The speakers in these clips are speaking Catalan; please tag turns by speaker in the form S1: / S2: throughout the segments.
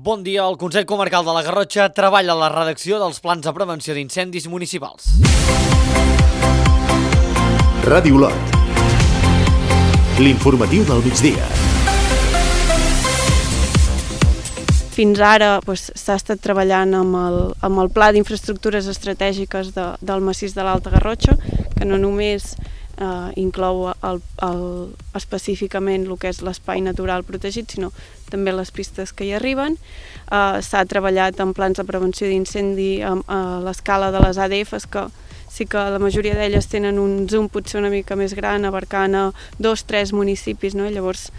S1: Bon dia, el Consell Comarcal de la Garrotxa treballa a la redacció dels plans de prevenció d'incendis municipals.
S2: Ràdio Olot. L'informatiu del migdia.
S3: Fins ara s'ha estat treballant amb el Pla d'Infraestructures Estratègiques del massís de l'Alta Garrotxa, que no només inclou específicament el que és l'espai natural protegit, sinó també les pistes que hi arriben. S'ha treballat en plans de prevenció d'incendi a l'escala de les ADFs, que sí que la majoria d'elles tenen un zoom potser una mica més gran, abarcant a 2-3 municipis, no? Llavors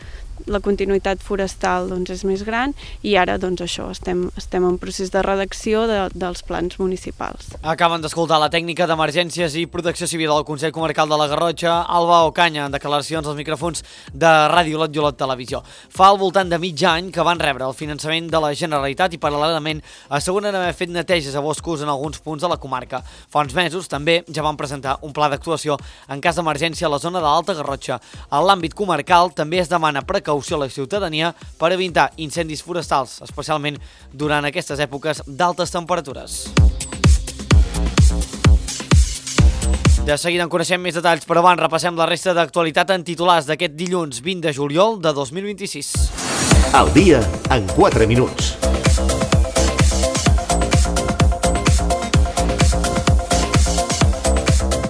S3: la continuïtat forestal és més gran i ara això, estem en procés de redacció dels plans municipals.
S1: Acaben d'escoltar la tècnica d'emergències i protecció civil del Consell Comarcal de la Garrotxa, Alba Ocaña, en declaracions als micròfons de Ràdio Olot i Olot Televisió. Fa al voltant de mig any que van rebre el finançament de la Generalitat i paral·lelament asseguren haver fet neteges a boscos en alguns punts de la comarca. Fa uns mesos també ja van presentar un pla d'actuació en cas d'emergència a la zona de l'Alta Garrotxa. En l'àmbit comarcal també es demana precaució a la ciutadania per evitar incendis forestals, especialment durant aquestes èpoques d'altes temperatures. De seguida en coneixem més detalls, però abans repassem la resta d'actualitat en titulars d'aquest dilluns 20 de juliol de 2026.
S2: Al dia en 4 minuts.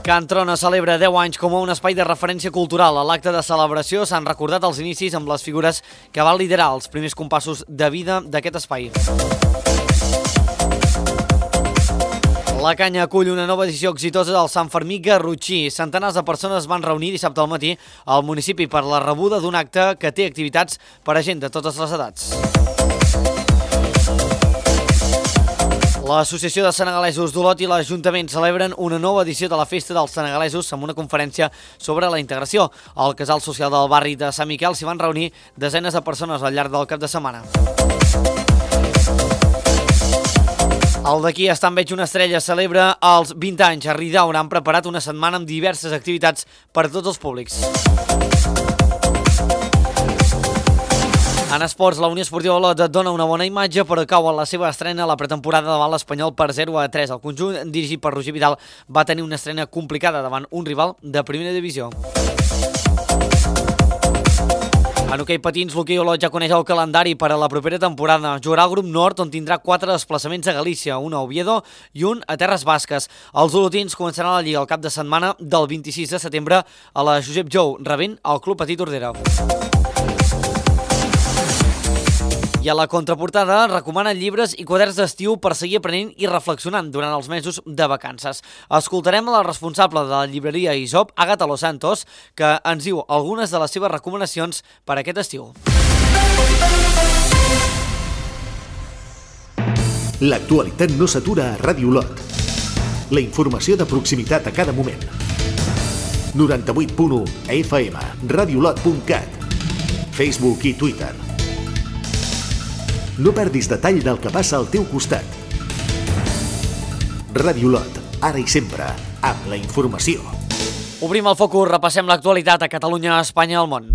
S1: Can Trona celebra 10 anys com a un espai de referència cultural. A l'acte de celebració s'han recordat els inicis amb les figures que van liderar els primers compassos de vida d'aquest espai. La Canya acull una nova edició exitosa del Sant Fermí Garrotxí. Centenars de persones van reunir dissabte al matí al municipi per la rebuda d'un acte que té activitats per a gent de totes les edats. L'Associació de Senegalesos d'Olot i l'Ajuntament celebren una nova edició de la Festa dels Senegalesos amb una conferència sobre la integració. Al casal social del barri de Sant Miquel s'hi van reunir desenes de persones al llarg del cap de setmana. El d'aquí està en veig una estrella celebra els 20 anys. A Ridaura han preparat una setmana amb diverses activitats per a tots els públics. En esports, la Unió Esportiva Olot dona una bona imatge, però cau en la seva estrena a la pretemporada davant l'Espanyol per 0-3. El conjunt, dirigit per Roger Vidal, va tenir una estrena complicada davant un rival de primera divisió. En hoquei patins, l'hoquei Olot ja coneix el calendari per a la propera temporada. Jugarà al grup nord, on tindrà 4 desplaçaments a Galícia, un a Oviedo i un a Terres Basques. Els olotins començaran la Lliga el cap de setmana del 26 de setembre a la Josep Jou, rebent el Club Petit Tordera. I a la contraportada recomanen llibres i quaderns d'estiu per seguir aprenent i reflexionant durant els mesos de vacances. Escoltarem a la responsable de la llibreria Isop, Àgata Los Santos, que ens diu algunes de les seves recomanacions per a aquest estiu.
S2: L'actualitat no s'atura a Ràdio Olot. La informació de proximitat a cada moment. 98.1 FM, radioolot.cat, Facebook i Twitter. No perdis detall del que passa al teu costat. Ràdio Olot, ara i sempre, amb la informació.
S1: Obrim el focus, repassem l'actualitat a Catalunya, a Espanya i al món.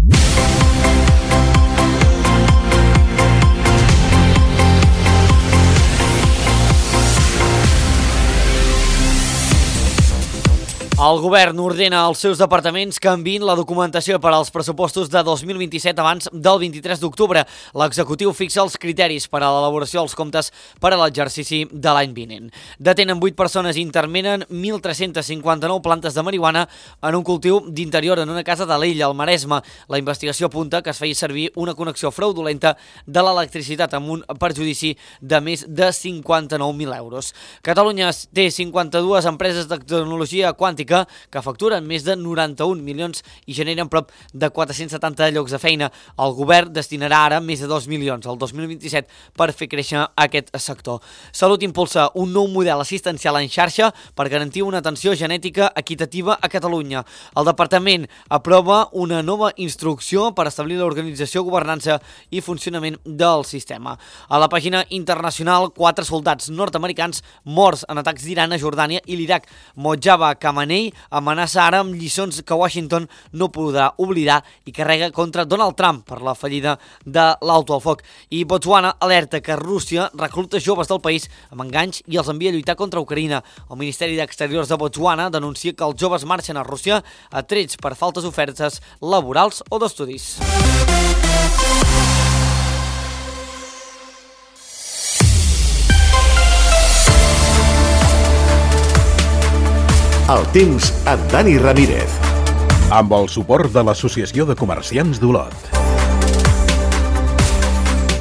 S1: El govern ordena als seus departaments que enviïn la documentació per als pressupostos de 2027 abans del 23 d'octubre. L'executiu fixa els criteris per a l'elaboració dels comptes per a l'exercici de l'any vinent. Detenen 8 persones i intervenen 1.359 plantes de marihuana en un cultiu d'interior en una casa de l'Illa, al Maresme. La investigació apunta que es feia servir una connexió fraudulenta de l'electricitat amb un perjudici de més de 59.000 euros. Catalunya té 52 empreses de tecnologia quàntica que facturen més de 91 milions i generen prop de 470 llocs de feina. El govern destinarà ara més de 2 milions al 2027 per fer créixer aquest sector. Salut impulsa un nou model assistencial en xarxa per garantir una atenció genètica equitativa a Catalunya. El departament aprova una nova instrucció per establir l'organització, governança i funcionament del sistema. A la pàgina internacional, 4 soldats nord-americans morts en atacs d'Iran a Jordània i l'Iraq. Mojtaba Khamenei, Kerry amenaça ara amb lliçons que Washington no podrà oblidar i carrega contra Donald Trump per la fallida de l'alto al foc. I Botswana alerta que Rússia recluta joves del país amb enganys i els envia a lluitar contra Ucraïna. El Ministeri d'Exteriors de Botswana denuncia que els joves marxen a Rússia atrets per faltes ofertes laborals o d'estudis.
S2: El temps amb Dani Ramírez.
S4: Amb el suport de l'Associació de Comerciants d'Olot.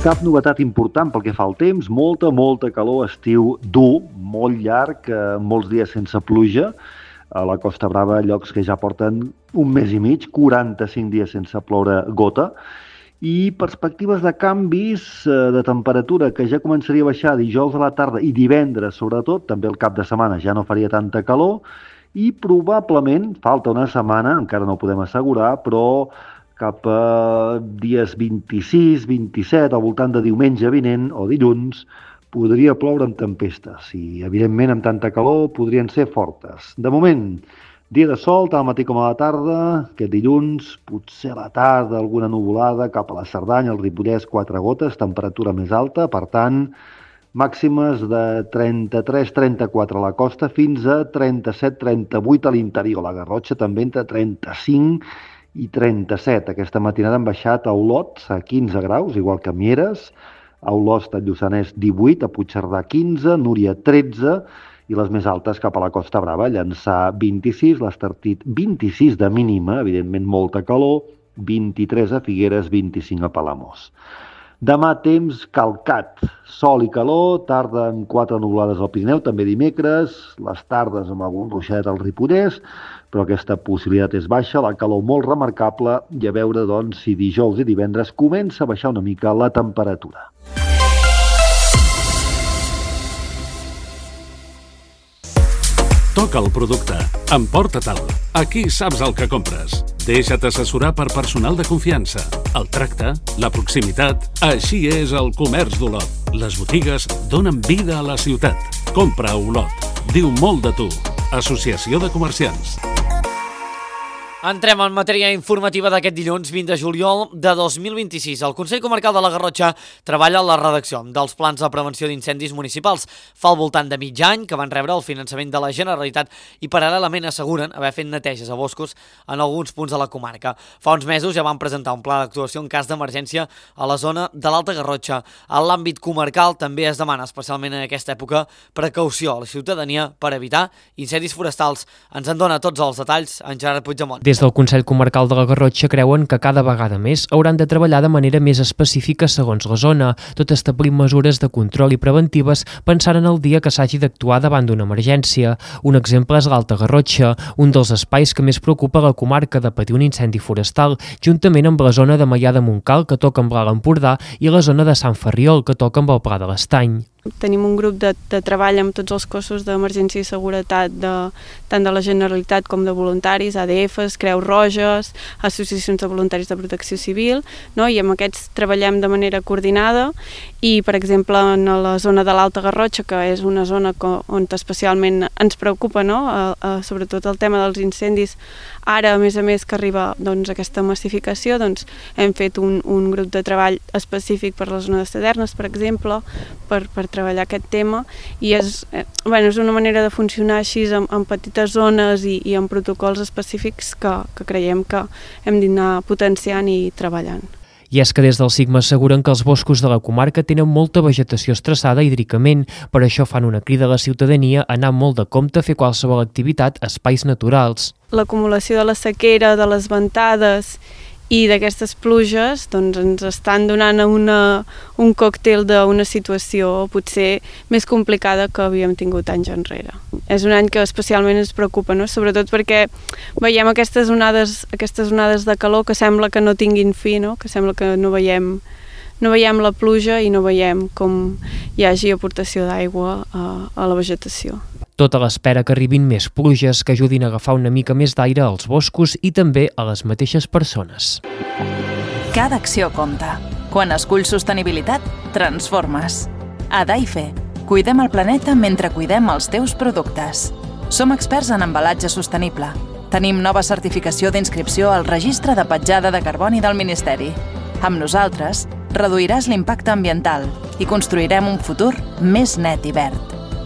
S5: Cap novetat important pel que fa al temps, molta calor, estiu dur, molt llarg, molts dies sense pluja. A la Costa Brava, llocs que ja porten un mes i mig, 45 dies sense ploure gota. I perspectives de canvis de temperatura que ja començaria a baixar dijous a la tarda i divendres, sobretot, també el cap de setmana ja no faria tanta calor, i probablement, falta una setmana, encara no ho podem assegurar, però cap a dies 26, 27, al voltant de diumenge vinent o dilluns, podria ploure amb tempestes i, evidentment, amb tanta calor podrien ser fortes. De moment, dia de sol, tant al matí com a la tarda, aquest dilluns, potser a la tarda alguna nuvolada cap a la Cerdanya, el Ripollès, 4 gotes, temperatura més alta, per tant, màximes de 33-34 a la costa fins a 37-38 a l'interior. La Garrotxa també entre 35 i 37. Aquesta matinada han baixat a Olot a 15 graus, igual que a Mieres, a Olost, a Lluçanès, 18, a Puigcerdà, 15, Núria, 13, i les més altes cap a la Costa Brava, Llançà, 26, l'Estartit, 26 de mínima, evidentment molta calor, 23 a Figueres, 25 a Palamós. Demà temps calcat, sol i calor, tarda amb 4 nuvolades al Pirineu, també dimecres, les tardes amb algun ruixadet al Ripollès, però aquesta possibilitat és baixa, la calor molt remarcable, i a veure doncs, si dijous i divendres comença a baixar una mica la temperatura.
S6: Toca el producte, emporta-te'l, aquí saps el que compres. Deixa't assessorar per personal de confiança. El tracte, la proximitat, així és el comerç d'Olot. Les botigues donen vida a la ciutat. Compra a Olot. Diu molt de tu. Associació de Comerciants.
S1: Entrem en matèria informativa d'aquest dilluns 20 de juliol de 2026. El Consell Comarcal de la Garrotxa treballa en la redacció dels plans de prevenció d'incendis municipals. Fa al voltant de mig any que van rebre el finançament de la Generalitat i paral·lelament asseguren haver fet neteges a boscos en alguns punts de la comarca. Fa uns mesos ja van presentar un pla d'actuació en cas d'emergència a la zona de l'Alta Garrotxa. En l'àmbit comarcal també es demana, especialment en aquesta època, precaució a la ciutadania per evitar incendis forestals. Ens en dona tots els detalls en Gerard Puigdemont.
S7: Des del Consell Comarcal de la Garrotxa creuen que cada vegada més hauran de treballar de manera més específica segons la zona, tot establint mesures de control i preventives pensant en el dia que s'hagi d'actuar davant d'una emergència. Un exemple és l'Alta Garrotxa, un dels espais que més preocupa la comarca de patir un incendi forestal, juntament amb la zona de Maià de Montcal, que toca amb l'Alt Empordà, i la zona de Sant Ferriol, que toca amb el Pla de l'Estany.
S3: Tenim un grup de treball amb tots els cossos d'emergència i seguretat tant de la Generalitat com de voluntaris, ADFs, Creus Roges, associacions de voluntaris de protecció civil, no? I amb aquests treballem de manera coordinada i, per exemple, en la zona de l'Alta Garrotxa, que és una zona on especialment ens preocupa, no? Sobretot el tema dels incendis, ara, a més que arriba doncs, aquesta massificació, doncs, hem fet un grup de treball específic per la zona de Tavernes, per exemple, per treballar aquest tema, i és una manera de funcionar així en petites zones i en protocols específics que creiem que hem d'anar potenciant i treballant.
S7: I és que des del SIGMA asseguren que els boscos de la comarca tenen molta vegetació estressada hídricament, per això fan una crida a la ciutadania a anar molt de compte a fer qualsevol activitat a espais naturals.
S3: L'acumulació de la sequera, de les ventades i d'aquestes pluges doncs, ens estan donant un còctel d'una situació potser més complicada que havíem tingut anys enrere. És un any que especialment ens preocupa, no? Sobretot perquè veiem aquestes onades de calor que sembla que no tinguin fi, no? Que sembla que no veiem la pluja i no veiem com hi hagi aportació d'aigua a la vegetació.
S7: Tot a l'espera que arribin més pluges que ajudin a agafar una mica més d'aire als boscos i també a les mateixes persones.
S8: Cada acció compta. Quan esculls sostenibilitat, transformes. A Daife, cuidem el planeta mentre cuidem els teus productes. Som experts en embalatge sostenible. Tenim nova certificació d'inscripció al Registre de Petjada de Carboni del Ministeri. Amb nosaltres, reduiràs l'impacte ambiental i construirem un futur més net i verd.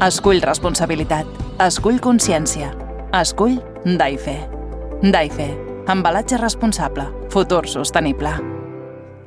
S8: Escull responsabilitat. Escull consciència. Escull Daife. Daife. Embalatge responsable. Futur sostenible.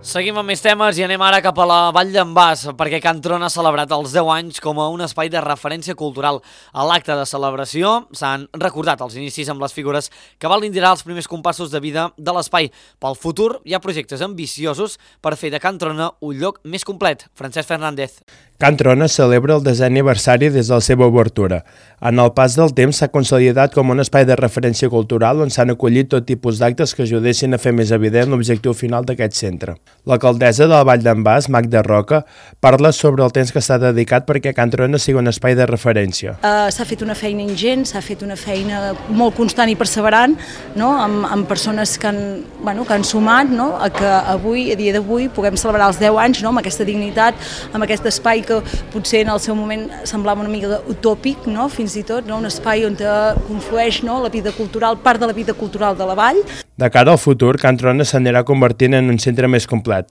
S1: Seguim amb més temes i anem ara cap a la Vall d'en Bas, perquè Can Tron ha celebrat els 10 anys com a un espai de referència cultural. A l'acte de celebració s'han recordat els inicis amb les figures que van liderar els primers compassos de vida de l'espai. Pel futur hi ha projectes ambiciosos per fer de Can Trona un lloc més complet. Francesc Fernández.
S9: Can Trona celebra el 10è aniversari des de la seva obertura. En el pas del temps s'ha consolidat com un espai de referència cultural on s'han acollit tot tipus d'actes que ajudessin a fer més evident l'objectiu final d'aquest centre. L'alcaldessa de la Vall d'en Bas, Magda Roca, parla sobre el temps que s'ha dedicat perquè Can Trona sigui un espai de referència.
S10: S'ha fet una feina ingent, s'ha fet una feina molt constant i perseverant, no? amb persones que han sumat, no? A que avui, a dia d'avui, puguem celebrar els 10 anys, no? Amb aquesta dignitat, amb aquest espai que potser en el seu moment semblava una mica utòpic, no? Fins i tot, no? Un espai on conflueix, no? La vida cultural, part de la vida cultural de la vall.
S9: De cara al futur, Can Trona s'anirà convertint en un centre més complet.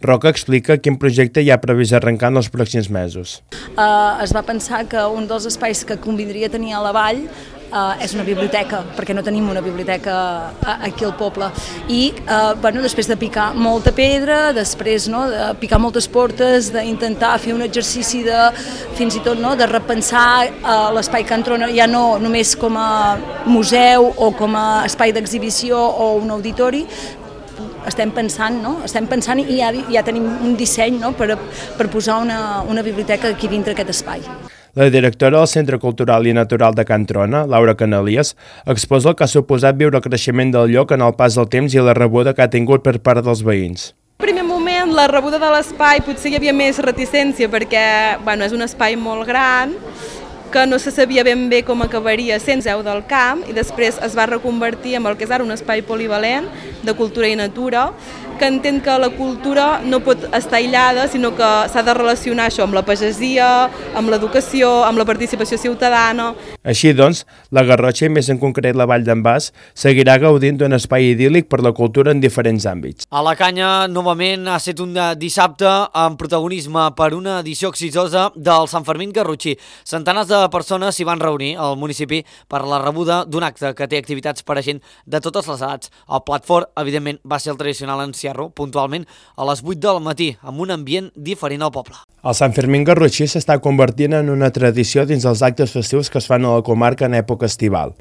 S9: Roca explica quin projecte hi ha previst arrencar en els pròxims mesos.
S10: Es va pensar que un dels espais que convindria tenir a la vall és una biblioteca, perquè no tenim una biblioteca aquí al poble. I després de picar molta pedra, després de picar moltes portes, d'intentar fer un exercici fins i tot de repensar l'espai Can Trona ja no només com a museu o com a espai d'exhibició o un auditori, estem pensant i ja tenim un disseny per posar una biblioteca aquí dintre aquest espai.
S9: La directora del Centre Cultural i Natural de Can Trona, Laura Canalies, exposa el que ha suposat viure el creixement del lloc en el pas del temps i la rebuda que ha tingut per part dels veïns.
S11: En primer moment, la rebuda de l'espai potser hi havia més reticència perquè és un espai molt gran, que no se sabia ben bé com acabaria sent Museu del Camp, i després es va reconvertir en el que és ara un espai polivalent de cultura i natura, que entén que la cultura no pot estar aïllada, sinó que s'ha de relacionar això amb la pagesia, amb l'educació, amb la participació ciutadana.
S9: Així doncs, la Garrotxa i més en concret la Vall d'en Bas seguirà gaudint d'un espai idíl·lic per la cultura en diferents àmbits.
S1: A la Canya, novament, ha estat un dissabte amb protagonisme per una edició exitosa del Sant Fermín Garrotxí. Centenars de persones s'hi van reunir al municipi per la rebuda d'un acte que té activitats per a gent de totes les edats. El plat fort, evidentment, va ser el tradicional encierro, puntualment a les 8 del matí, amb un ambient diferent al poble.
S9: El Sant Fermín Garrotxí s'està convertint en una tradició dins els actes festius que es fan a la comarca en època estival.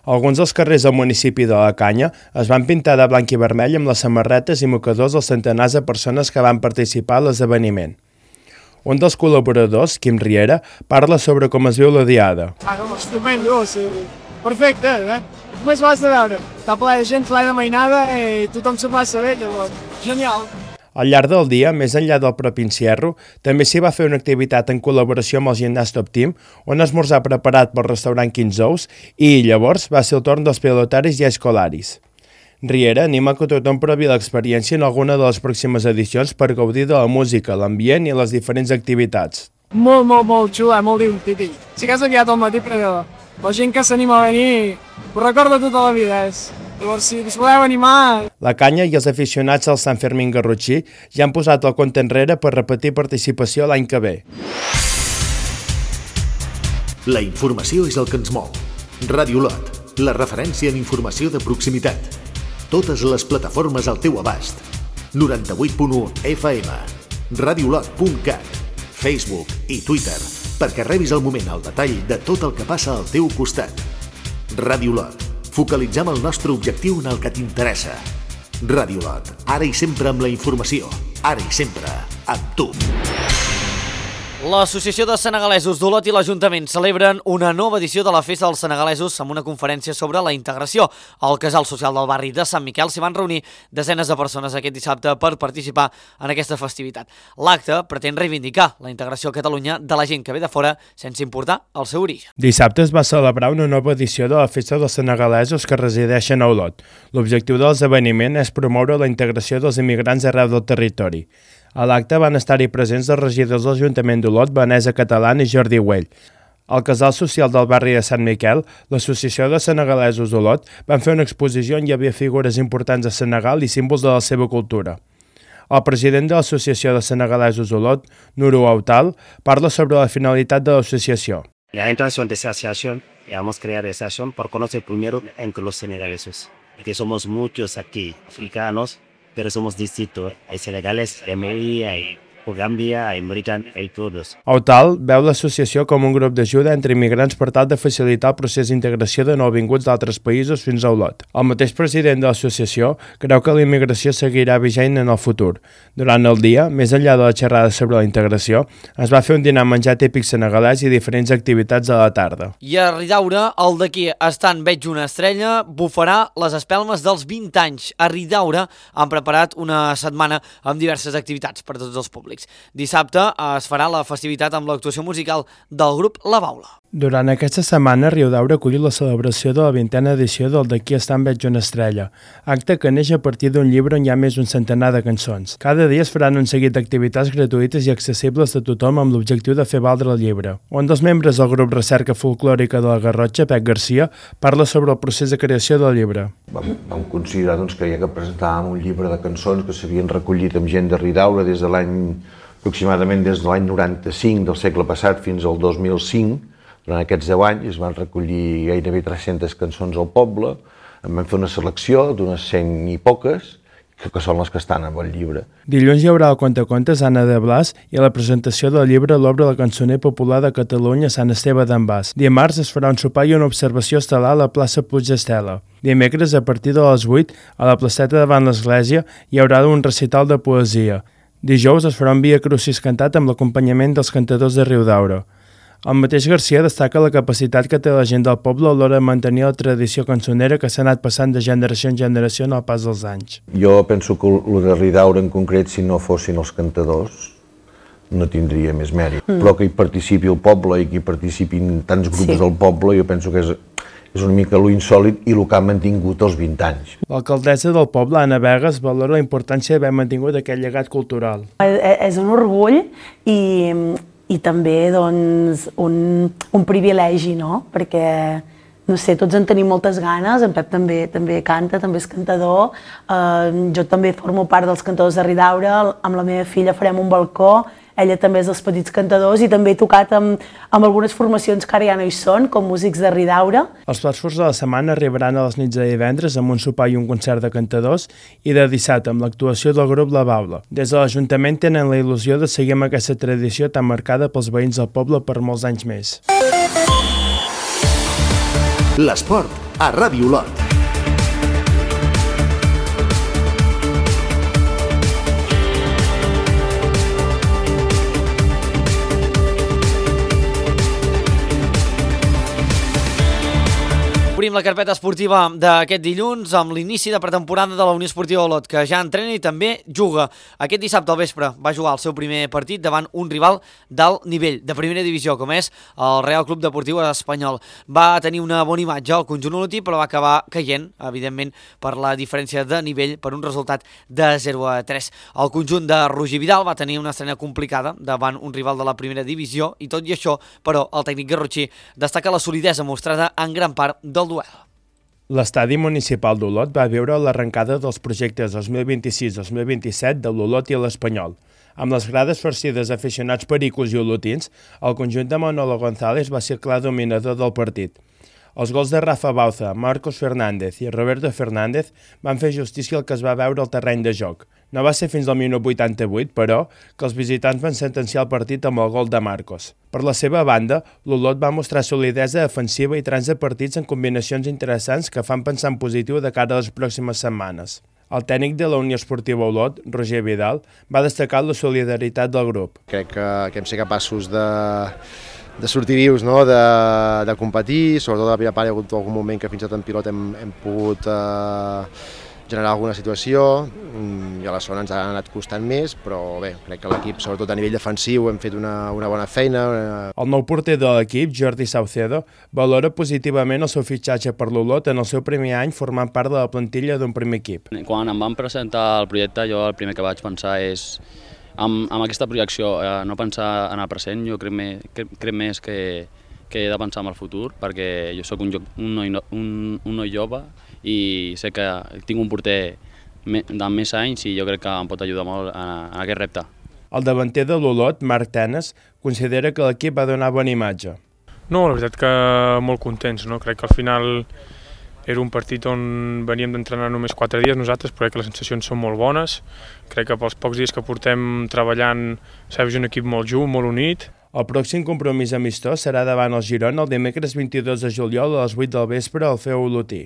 S9: Alguns dels carrers del municipi de la Canya es van pintar de blanc i vermell amb les samarretes i mocadors dels centenars de persones que van participar a l'esdeveniment. Un dels col·laboradors, Quim Riera, parla sobre com es viu la diada.
S12: Estupendo, perfecte, Només vas a veure, està ple de gent, ple de mainada i tothom se passa bé, llavors, genial.
S9: Al llarg del dia, més enllà del propi encierro, també s'hi va fer una activitat en col·laboració amb el Gimnàs Top Team, un esmorzar preparat pel restaurant 15 Ous i llavors va ser el torn dels pilotaris i escolaris. Riera anima que tothom provi l'experiència en alguna de les pròximes edicions per gaudir de la música, l'ambient i les diferents activitats.
S12: Molt xula, molt divertit. Si que has aviat al matí, però la gent que s'anima a venir ho recorda tota la vida. Llavors, si us voleu animar...
S9: La Canya i els aficionats al Sant Fermín Garrotxí ja han posat el compte enrere per repetir participació l'any que ve.
S2: La informació és el que ens mou. Ràdio Lot, la referència en informació de proximitat. Totes les plataformes al teu abast. 98.1 FM, radiolot.cat, Facebook i Twitter, perquè rebis al moment el detall de tot el que passa al teu costat. Ràdio Lot, focalitzem el nostre objectiu en el que t'interessa. Ràdio Lot, ara i sempre amb la informació, ara i sempre amb tu.
S1: L'Associació de Senegalesos d'Olot i l'Ajuntament celebren una nova edició de la Festa dels Senegalesos amb una conferència sobre la integració. Al Casal Social del barri de Sant Miquel s'hi van reunir desenes de persones aquest dissabte per participar en aquesta festivitat. L'acte pretén reivindicar la integració a Catalunya de la gent que ve de fora sense importar el seu origen.
S9: Dissabte es va celebrar una nova edició de la Festa dels Senegalesos que resideixen a Olot. L'objectiu de l'esdeveniment és promoure la integració dels immigrants arreu del territori. A l'acte van estar-hi presents els regidors de l'Ajuntament d'Olot, Vanessa Catalán i Jordi Güell. Al casal social del barri de Sant Miquel, l'Associació de Senegalesos d'Olot van fer una exposició on hi havia figures importants de Senegal i símbols de la seva cultura. El president de l'Associació de Senegalesos d'Olot, Nuru Autal, parla sobre la finalitat de l'associació.
S13: La intención de esta asociación, vamos a crear esta asociación por conocer primero entre los senegaleses, que somos muchos aquí, africanos, pero somos distintos. Hay senegales, hay Mali, hay Gàmbia, hay Mauritània, hay todos.
S9: Autal veu l'associació com un grup d'ajuda entre immigrants per tal de facilitar el procés d'integració de nouvinguts d'altres països fins a Olot. El mateix president de l'associació creu que la immigració seguirà vigent en el futur. Durant el dia, més enllà de la xerrada sobre la integració, es va fer un dinar menjar típic senegalès i diferents activitats a la tarda.
S1: I a Ridaura, el d'aquí estant Veig una estrella bufarà les espelmes dels 20 anys. A Ridaura han preparat una setmana amb diverses activitats per a tots els públics. Dissabte es farà la festivitat amb l'actuació musical del grup La Baula.
S9: Durant aquesta setmana, Riudaura acull la celebració de la 20a edició del D'aquí estant Veig una estrella, acte que neix a partir d'un llibre on hi ha més d'un centenar de cançons. Cada dia es faran un seguit d'activitats gratuïtes i accessibles a tothom amb l'objectiu de fer valdre el llibre. Un dels membres del grup Recerca Folclòrica de la Garrotxa, Pep Garcia, parla sobre el procés de creació del llibre.
S14: Vam considerar que ja que presentàvem un llibre de cançons que s'havien recollit amb gent de Riudaura aproximadament des de l'any 95 del segle passat fins al 2005, durant aquests 10 anys es van recollir gairebé 300 cançons al poble, en vam fer una selecció d'unes 100 i poques, que són les que estan en el llibre.
S9: Dilluns hi haurà el contacontes Anna de Blas i a la presentació del llibre l'obra del cançoner popular de Catalunya Sant Esteve d'en Bas. Dimarts es farà un sopar i una observació estel·lar a la plaça Puig d'Estela. Dimecres, a partir de les 8, a la placeta davant l'església, hi haurà un recital de poesia. Dijous es farà un Via Crucis cantat amb l'acompanyament dels cantadors de Riudaura. El mateix Garcia destaca la capacitat que té la gent del poble a l'hora de mantenir la tradició cançonera que s'ha anat passant de generació en generació en el pas dels anys.
S14: Jo penso que el de Riudaura en concret, si no fossin els cantadors, no tindria més mèrit. Però que hi participi el poble i que hi participin tants grups del poble, jo penso que és una mica lo insòlit i el que ha mantingut els 20 anys.
S9: L'alcaldessa del poble, Anna Vegas, valora la importància d'haver mantingut aquest llegat cultural.
S15: És un orgull i també doncs, un privilegi, no? Perquè, no sé, tots en tenim moltes ganes, en Pep també canta, també és cantador, jo també formo part dels cantadors de Riudaura, amb la meva filla farem un balcó, ella també és dels petits cantadors i també he tocat amb algunes formacions que ara ja no hi són, com músics de Riudaura.
S9: Els plats forts de la setmana arribaran a les nits de divendres amb un sopar i un concert de cantadors i de dissabte amb l'actuació del grup La Baula. Des de l'Ajuntament tenen la il·lusió de seguir amb aquesta tradició tan marcada pels veïns del poble per molts anys més.
S2: L'esport a Ràdio Olot.
S1: Obrim la carpeta esportiva d'aquest dilluns amb l'inici de pretemporada de la Unió Esportiva Olot, que ja entrena i també juga. Aquest dissabte al vespre va jugar el seu primer partit davant un rival d'alt nivell, de primera divisió, com és el Real Club Deportiu Espanyol. Va tenir una bona imatge al conjunt olotí, però va acabar caient, evidentment, per la diferència de nivell, per un resultat de 0-3. El conjunt de Roger Vidal va tenir una estrena complicada davant un rival de la primera divisió i tot i això, però, el tècnic garrotxí destaca la solidesa mostrada en gran part del duel.
S9: L'estadi municipal d'Olot va viure l'arrencada dels projectes 2026-2027 de l'Olot i l'Espanyol. Amb les grades farcides d'aficionats pericos i olotins, el conjunt de Manolo González va ser clar dominador del partit. Els gols de Rafa Bauza, Marcos Fernández i Roberto Fernández van fer justícia al que es va veure al terreny de joc. No va ser fins al minut 88, però, que els visitants van sentenciar el partit amb el gol de Marcos. Per la seva banda, l'Olot va mostrar solidesa defensiva i trams de partits en combinacions interessants que fan pensar en positiu de cara a les pròximes setmanes. El tècnic de la Unió Esportiva Olot, Roger Vidal, va destacar la solidaritat del grup.
S16: Crec que hem de ser capaços de sortir vius, no? de competir, sobretot a la primera part hi ha hagut algun moment que fins i tot en pilot hem pogut generar alguna situació i a la segona ens ha anat costant més, però bé, crec que l'equip, sobretot a nivell defensiu, hem fet una bona feina.
S9: El nou porter de l'equip, Jordi Saucedo, valora positivament el seu fitxatge per l'Olot en el seu primer any formant part de la plantilla d'un primer equip.
S17: Quan em van presentar el projecte, jo el primer que vaig pensar és amb aquesta projecció, no pensar en el present, jo crec més que que he de pensar en el futur, perquè jo sóc un noi jove i sé que tinc un porter de més anys i jo crec que em pot ajudar molt en aquest repte.
S9: El davanter de l'Olot, Marc Tenes, considera que l'equip va donar bona imatge.
S18: No, la veritat que molt contents, no? Crec que al final era un partit on veníem d'entrenar només 4 dies nosaltres, però crec que les sensacions són molt bones. Crec que pels pocs dies que portem treballant s'ha vist un equip molt junt, molt unit.
S9: El pròxim compromís amistós serà davant el Girona el dimecres 22 de juliol a les 8 del vespre al Feu Olotí.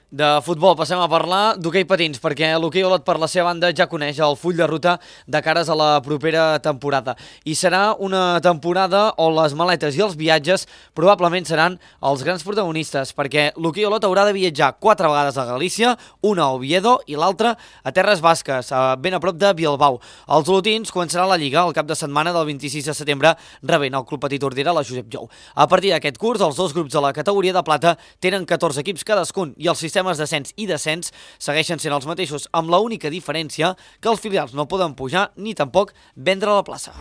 S1: De futbol passem a parlar d'hoquei patins, perquè l'hoquei Olot per la seva banda ja coneix el full de ruta de cares a la propera temporada. I serà una temporada on les maletes i els viatges probablement seran els grans protagonistes, perquè l'hoquei Olot haurà de viatjar 4 vegades a Galícia, una a Oviedo i l'altra a Terres Basques, ben a prop de Bilbao. Els olotins començaran la Lliga el cap de setmana del 26 de setembre rebent el Club Petit Tordera a la Josep Jou. A partir d'aquest curs, els 2 grups de la categoria de plata tenen 14 equips cadascun i el sistema d'ascens i descens segueixen sent els mateixos, amb l'única diferència que els filials no poden pujar ni tampoc vendre la plaça.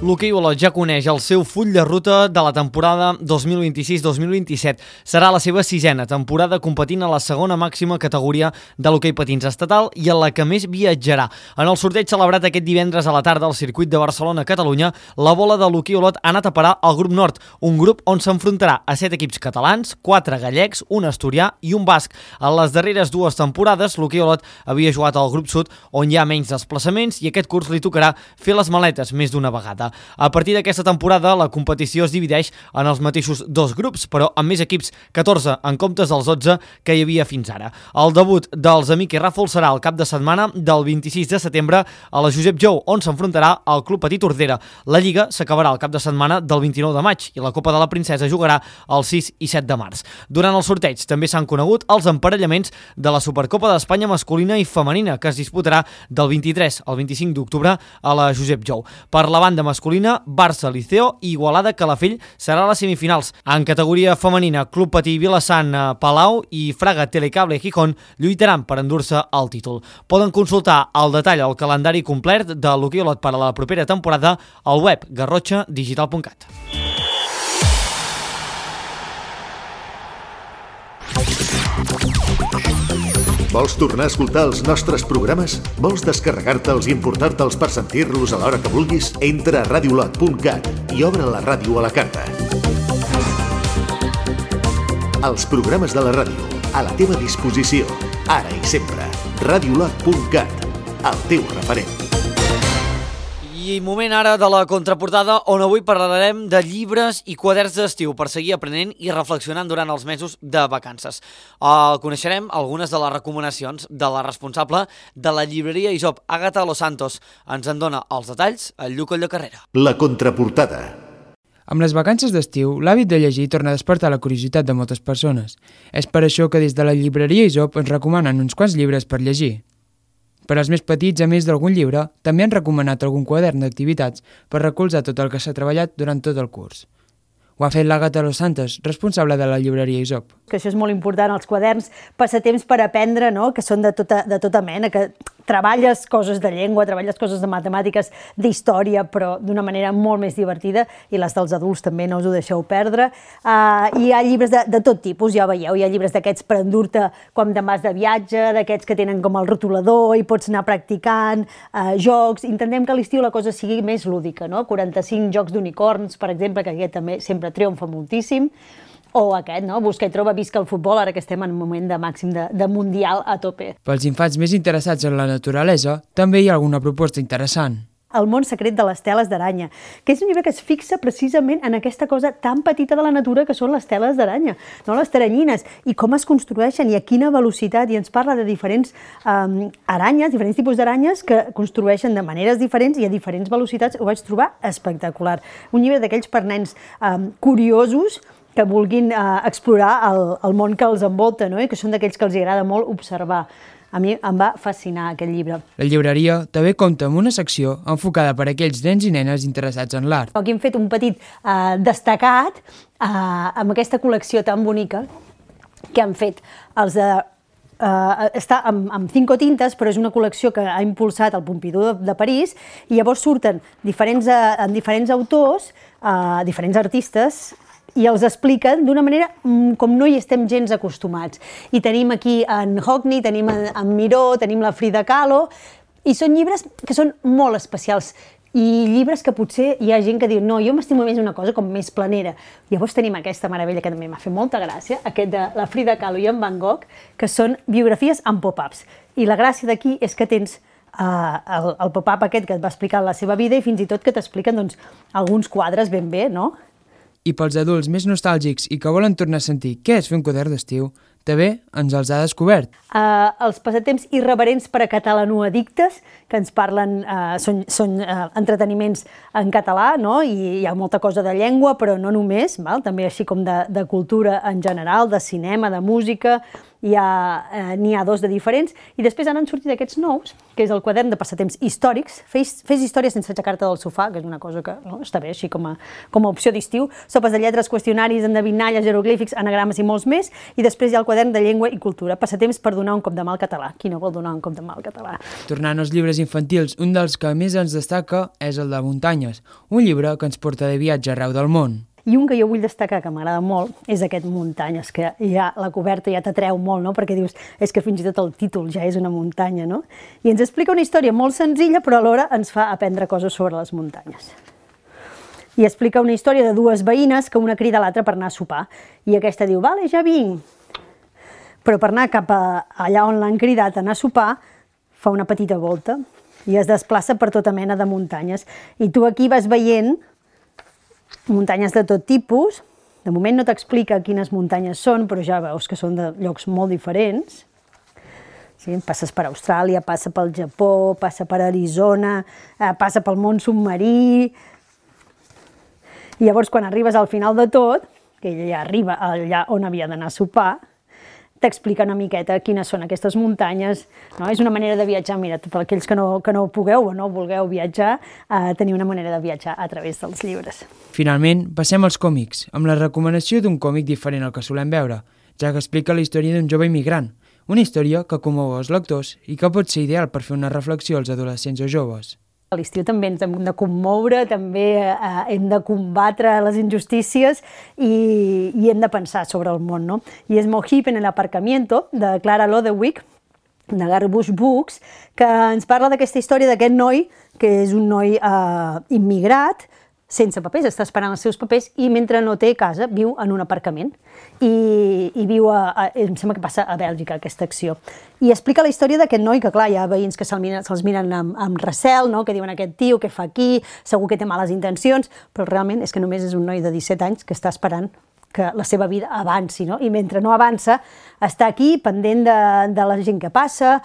S1: L'hoquei Olot ja coneix el seu full de ruta de la temporada 2026-2027. Serà la seva 6ª temporada competint a la segona màxima categoria de l'hoquei patins estatal i en la que més viatjarà. En el sorteig celebrat aquest divendres a la tarda al circuit de Barcelona-Catalunya, la bola de l'hoquei Olot ha anat a parar al grup nord, un grup on s'enfrontarà a 7 equips catalans, 4 gallecs, un asturià i un basc. En les darreres 2 temporades, l'hoquei Olot havia jugat al grup sud, on hi ha menys desplaçaments, i aquest curs li tocarà fer les maletes més d'una vegada. A partir d'aquesta temporada, la competició es divideix en els mateixos 2 grups, però amb més equips, 14 en comptes dels 12 que hi havia fins ara. El debut dels Amic i Ràfol serà el cap de setmana del 26 de setembre a la Josep Jou, on s'enfrontarà al Club Petit Tordera. La Lliga s'acabarà el cap de setmana del 29 de maig i la Copa de la Princesa jugarà el 6 i 7 de març. Durant el sorteig també s'han conegut els emparellaments de la Supercopa d'Espanya masculina i femenina, que es disputarà del 23 al 25 d'octubre a la Josep Jou. Per la banda masculina, Barça, Liceo i Igualada Calafell serà a les semifinals. En categoria femenina, Club Patí Vilassant, Palau i Fraga Telecable Gijón lluitaran per endur-se el títol. Poden consultar al detall el calendari complet de l'hoquei Olot per a la propera temporada al web garrotxadigital.cat.
S2: Vols tornar a escoltar els nostres programes? Vols descarregar-te'ls i emportar-te'ls per sentir-los a l'hora que vulguis? Entra a radiolot.cat i obre la ràdio a la carta. Els programes de la ràdio, a la teva disposició, ara i sempre. Radiolot.cat, el teu referent.
S1: I moment ara de la contraportada, on avui parlarem de llibres i quaderns d'estiu per seguir aprenent i reflexionant durant els mesos de vacances. Coneixerem algunes de les recomanacions de la responsable de la llibreria Isop, Àgata Los Santos. Ens en dona els detalls el Lluc Colldecarrera.
S2: La contraportada.
S19: Amb les vacances d'estiu, l'hàbit de llegir torna a despertar la curiositat de moltes persones. És per això que des de la llibreria Isop ens recomanen uns quants llibres per llegir. Per als més petits, a més d'algun llibre, també han recomanat algun quadern d'activitats per recolzar tot el que s'ha treballat durant tot el curs. Ho ha fet l'Àgata Los Santos, responsable de la llibreria Isop.
S20: Que això és molt important, els quaderns, passatemps per aprendre, no? Que són de tota mena, que treballes coses de llengua, treballes coses de matemàtiques, d'història, però d'una manera molt més divertida, i les dels adults també no us ho deixeu perdre. Hi ha llibres de tot tipus, ja veieu, hi ha llibres d'aquests per endur-te quan te'n vas de viatge, d'aquests que tenen com el rotulador i pots anar practicant, jocs. Intentem que a l'estiu la cosa sigui més lúdica, no? 45 jocs d'unicorns, per exemple, que aquest també sempre triomfa moltíssim. O aquest, no? Busca i troba, visca el futbol, ara que estem en un moment de màxim de mundial a tope.
S19: Pels infants més interessats en la naturalesa, també hi ha alguna proposta interessant.
S20: El món secret de les teles d'aranya, que és un llibre que es fixa precisament en aquesta cosa tan petita de la natura que són les teles d'aranya, no? Les teranyines, i com es construeixen i a quina velocitat, i ens parla de diferents aranyes, diferents tipus d'aranyes que construeixen de maneres diferents i a diferents velocitats. Ho vaig trobar espectacular. Un llibre d'aquells per nens curiosos que vulguin explorar el món que els envolta, no? I que són d'aquells que els agrada molt observar. A mi em va fascinar aquest llibre.
S19: La llibreria també compta amb una secció enfocada per a aquells nens i nenes interessats en l'art.
S20: Aquí hem fet un petit destacat amb aquesta col·lecció tan bonica que han fet els de està amb 5 tintes, però és una col·lecció que ha impulsat el Pompidou de París, i llavors surten diferents autors, diferents artistes, i els expliquen d'una manera com no hi estem gens acostumats. I tenim aquí en Hockney, tenim en Miró, tenim la Frida Kahlo, i són llibres que són molt especials, i llibres que potser hi ha gent que diu no, jo m'estimo més una cosa com més planera. Llavors tenim aquesta meravella que també m'ha fet molta gràcia, aquest de la Frida Kahlo i en Van Gogh, que són biografies amb pop-ups. I la gràcia d'aquí és que tens el pop-up aquest que et va explicar la seva vida i fins i tot que t'expliquen alguns quadres ben bé, no?
S19: I pels adults més nostàlgics i que volen tornar a sentir què és fer un quadern d'estiu, també ens els ha descobert.
S20: Els passatemps irreverents per a catalanoaddictes, que ens parlen, són entreteniments en català, no? I hi ha molta cosa de llengua, però no només, també així com de cultura en general, de cinema, de música, n'hi ha 2 de diferents, i després han sortit aquests nous, que és el quadern de passatemps històrics, fes història sense aixecar-te del sofà, que és una cosa que està bé, així com a opció d'estiu, sopes de lletres, qüestionaris, endevinalles, jeroglífics, anagrames i molts més, i després hi ha el quadern de llengua i cultura, passatemps per donar un cop de mà al català. Qui no vol donar un cop de mà al català?
S19: Tornant als llibres infantils, un dels que més ens destaca és el de Muntanyes, un llibre que ens porta de viatge arreu del món.
S20: I un que jo vull destacar, que m'agrada molt, és aquest Muntanyes, que ja la coberta ja t'atreu molt, no? Perquè dius, és que fins i tot el títol ja és una muntanya, no? I ens explica una història molt senzilla, però alhora ens fa aprendre coses sobre les muntanyes. I explica una història de 2 veïnes que una crida a l'altra per anar a sopar. I aquesta diu, vale, ja vinc. Però per anar cap allà on l'han cridat a anar a sopar, fa una petita volta i es desplaça per tota mena de muntanyes. I tu aquí vas veient muntanyes de tot tipus. De moment no t'explica quines muntanyes són, però ja veus que són de llocs molt diferents. Sí, passes per Austràlia, passa pel Japó, passa per Arizona, passa pel món submarí. I llavors, quan arribes al final de tot, que ella ja arriba allà on havia d'anar a sopar, t'explica una miqueta quines són aquestes muntanyes. És una manera de viatjar, mira, per aquells que no pugueu o no vulgueu viatjar, tenir una manera de viatjar a través dels llibres.
S19: Finalment, passem als còmics, amb la recomanació d'un còmic diferent al que solem veure, ja que explica la història d'un jove immigrant, una història que commou els lectors i que pot ser ideal per fer una reflexió als adolescents o joves.
S20: A l'estiu també ens hem de commoure, també hem de combatre les injustícies i hem de pensar sobre el món, no? I és Mojip en el aparcamiento, de Clara Lodewyk, de Garbush Books, que ens parla d'aquesta història d'aquest noi, que és un noi immigrat, sense papers, està esperant els seus papers i mentre no té casa viu en un aparcament i viu em sembla que passa a Bèlgica aquesta acció. I explica la història d'aquest noi que clar, hi ha veïns que se'ls miren amb recel, no? Que diuen aquest tio, què fa aquí, segur que té males intencions, però realment és que només és un noi de 17 anys que està esperant que la seva vida avanci, no? I mentre no avança, està aquí pendent de la gent que passa,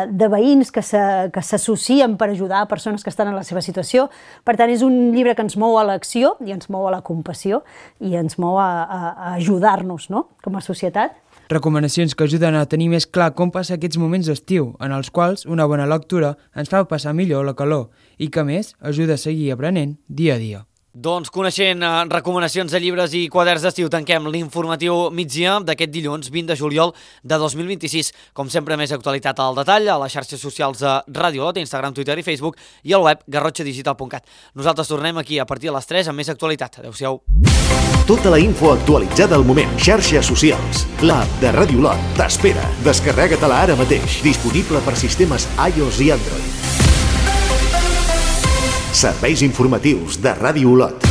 S20: de veïns que s'associen per ajudar a persones que estan en la seva situació. Per tant, és un llibre que ens mou a l'acció i ens mou a la compassió i ens mou a ajudar-nos, no?, com a societat.
S19: Recomanacions que ajuden a tenir més clar com passar aquests moments d'estiu, en els quals una bona lectura ens fa passar millor la calor i que, a més, ajuda a seguir aprenent dia a dia.
S1: Doncs coneixent recomanacions de llibres i quaderns d'estiu, tanquem l'informatiu migdia d'aquest dilluns 20 de juliol de 2026. Com sempre, més actualitat al detall a les xarxes socials de Ràdio Lot, Instagram, Twitter i Facebook i al web garrotxadigital.cat. Nosaltres tornem aquí a partir de les 3 amb més actualitat. Adéu-siau.
S2: Tota la info actualitzada al moment. Xarxes socials. L'app de Ràdio Lot t'espera. Descarrega-te-la ara mateix. Disponible per sistemes iOS i Android. Serveis informatius de Ràdio Lot.